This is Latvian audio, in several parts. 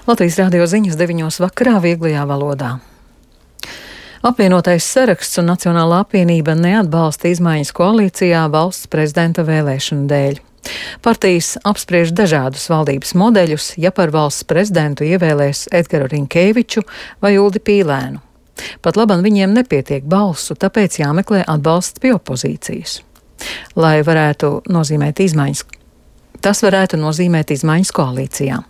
Latvijas radio ziņas 9 vakarā vieglajā valodā. Apvienotais saraksts un Nacionālā apvienība neatbalsta izmaiņas koalīcijā valsts prezidenta vēlēšanu dēļ. Partijas apspriež dažādus valdības modeļus, ja par valsts prezidentu ievēlēs Edgaru Rinkēviču vai Uldi Pīlēnu. Pat labam viņiem nepietiek balsu, tāpēc jāmeklē atbalsts pie opozīcijas. Lai varētu nozīmēt izmaiņas, tas varētu nozīmēt izmaiņas koalīcijā.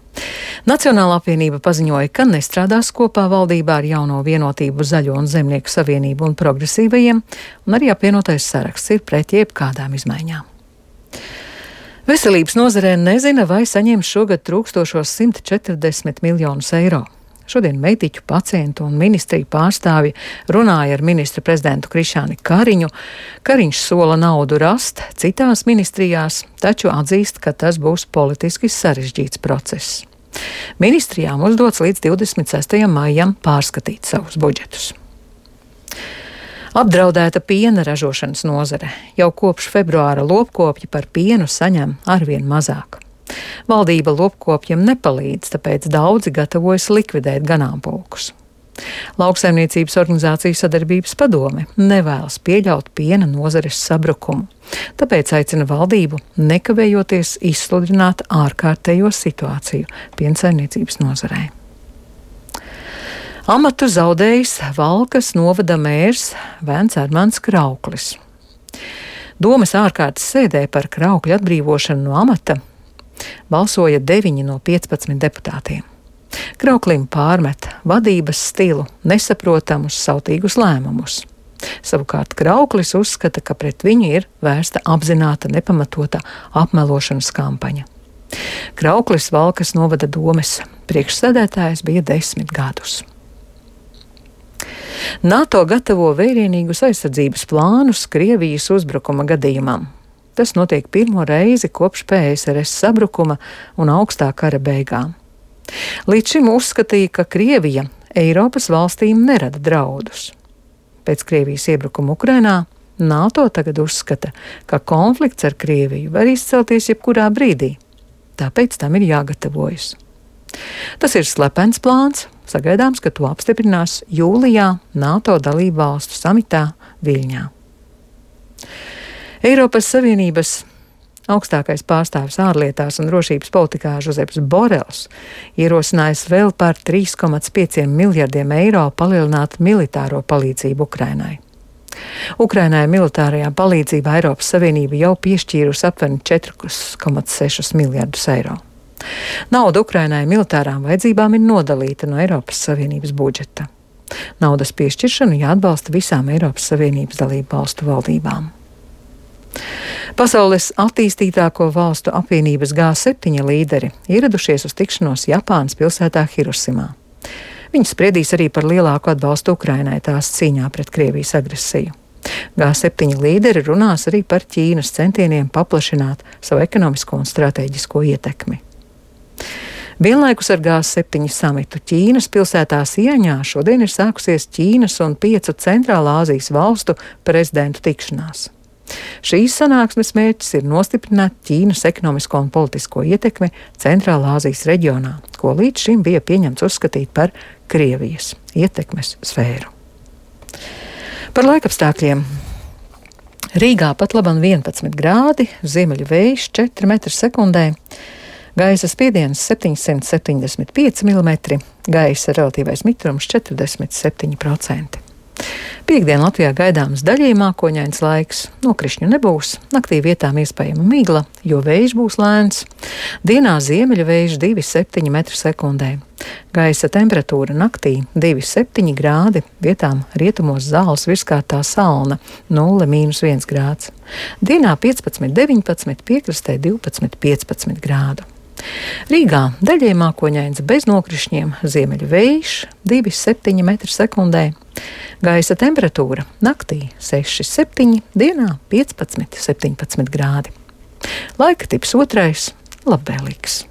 Nacionālā apvienība paziņoja, ka nestrādās kopā valdībā ar jauno vienotību Zaļo un Zemnieku savienību un progresīvajiem, un arī apvienotais saraksts ir pret jebkādām izmaiņām. Veselības nozarē nezina, vai saņems šogad trūkstošos 140 miljonus eiro. Šodien mediķu, pacientu un ministriju pārstāvji runāja ar ministra prezidentu Krišjāni Kariņu. Kariņš sola naudu rast citās ministrijās, taču atzīst, ka tas būs politiski sarežģīts process. Ministrijām uzdots līdz 26. maijam pārskatīt savus budžetus. Apdraudēta piena ražošanas nozare. Jau kopš februāra lopkopji par pienu saņem arvien mazāk. Valdība lopkopjiem nepalīdz, tāpēc daudzi gatavojas likvidēt ganāmpulkus. Lauksaimniecības organizāciju sadarbības padome nevēlas pieļaut piena nozares sabrukumu, tāpēc aicina valdību nekavējoties izsludināt ārkārtējo situāciju piensaimniecības nozarē. Amatu zaudējis Valkas novada mērs Vēns Armands Krauklis. Domes ārkārtas sēdē par Kraukļa atbrīvošanu no amata balsoja 9 no 15 deputātiem. Krauklim pārmet vadības stilu, nesaprotamus, sautīgus lēmumus. Savukārt Krauklis uzskata, ka pret viņu ir vērsta apzināta nepamatota apmelošanas kampaņa. Krauklis Valkas novada domes priekšsēdētājs bija 10 gadus. NATO gatavo vērienīgus aizsardzības plānus Krievijas uzbrukuma gadījumam. Tas notiek pirmo reizi kopš PSRS sabrukuma un augstā kara beigām. Līdz šim uzskatīja, ka Krievija Eiropas valstīm nerada draudus. Pēc Krievijas iebrukuma Ukrainā NATO tagad uzskata, ka konflikts ar Krieviju var izcelties jebkurā brīdī. Tāpēc tam ir jāgatavojas. Tas ir slepens plāns, sagaidāms, ka to apstiprinās jūlijā NATO dalību valstu samitā Viļņā. Eiropas Savienības augstākais pārstāvis ārlietās un drošības politikā Žozeps Borels ierosinājis vēl par 3,5 miljardiem eiro palielināt militāro palīdzību Ukrainai. Ukrainai militārajā palīdzībā Eiropas Savienība jau piešķīrusi aptuveni 4,6 miljardus eiro. Nauda Ukrainai militārām vajadzībām ir nodalīta no Eiropas Savienības budžeta. Naudas piešķiršanu jāatbalsta visām Eiropas Savienības dalību valstu valdībām. Pasaules attīstītāko valstu apvienības G7 līderi ieradušies uz tikšanos Japānas pilsētā Hirošimā. Viņi spriedīs arī par lielāku atbalstu Ukrainai tās cīņā pret Krievijas agresiju. G7 līderi runās arī par Ķīnas centieniem paplašināt savu ekonomisko un stratēģisko ietekmi. Vienlaikus ar G7 samitu Ķīnas pilsētā Sieņā šodien ir sākusies Ķīnas un 5 Centrālā Āzijas valstu prezidentu tikšanās. Šīs sanāksmes mērķis ir nostiprināt Ķīnas ekonomisko un politisko ietekmi Centrālā Āzijas reģionā, ko līdz šim bija pieņemts uzskatīt par Krievijas ietekmes sfēru. Par laikapstākļiem. Rīgā pat labam 11 grādi, ziemeļu vējš 4 metri sekundē, gaisa spiediens 775 mm, gaisa relatīvais mitrums 47%. Piektdien Latvijā gaidāms daļēji mākoņains laiks, nokrišņu nebūs, naktī vietām iespējama migla, jo vējš būs lēns. Dienā ziemeļu vējš 2,7 metru sekundē. Gaisa temperatūra naktī 2,7 grādi, vietām rietumos zāles virskārtā salna 0,-1 grāds. Dienā 15,19, piekrastē 12,15 grādu. Rīgā daļēji mākoņains bez nokrišņiem, ziemeļu vējš 2,7 metru sekundē. Gaisa temperatūra naktī 6,7, dienā 15,17 grādi. Laika tips 2. labvēlīgs.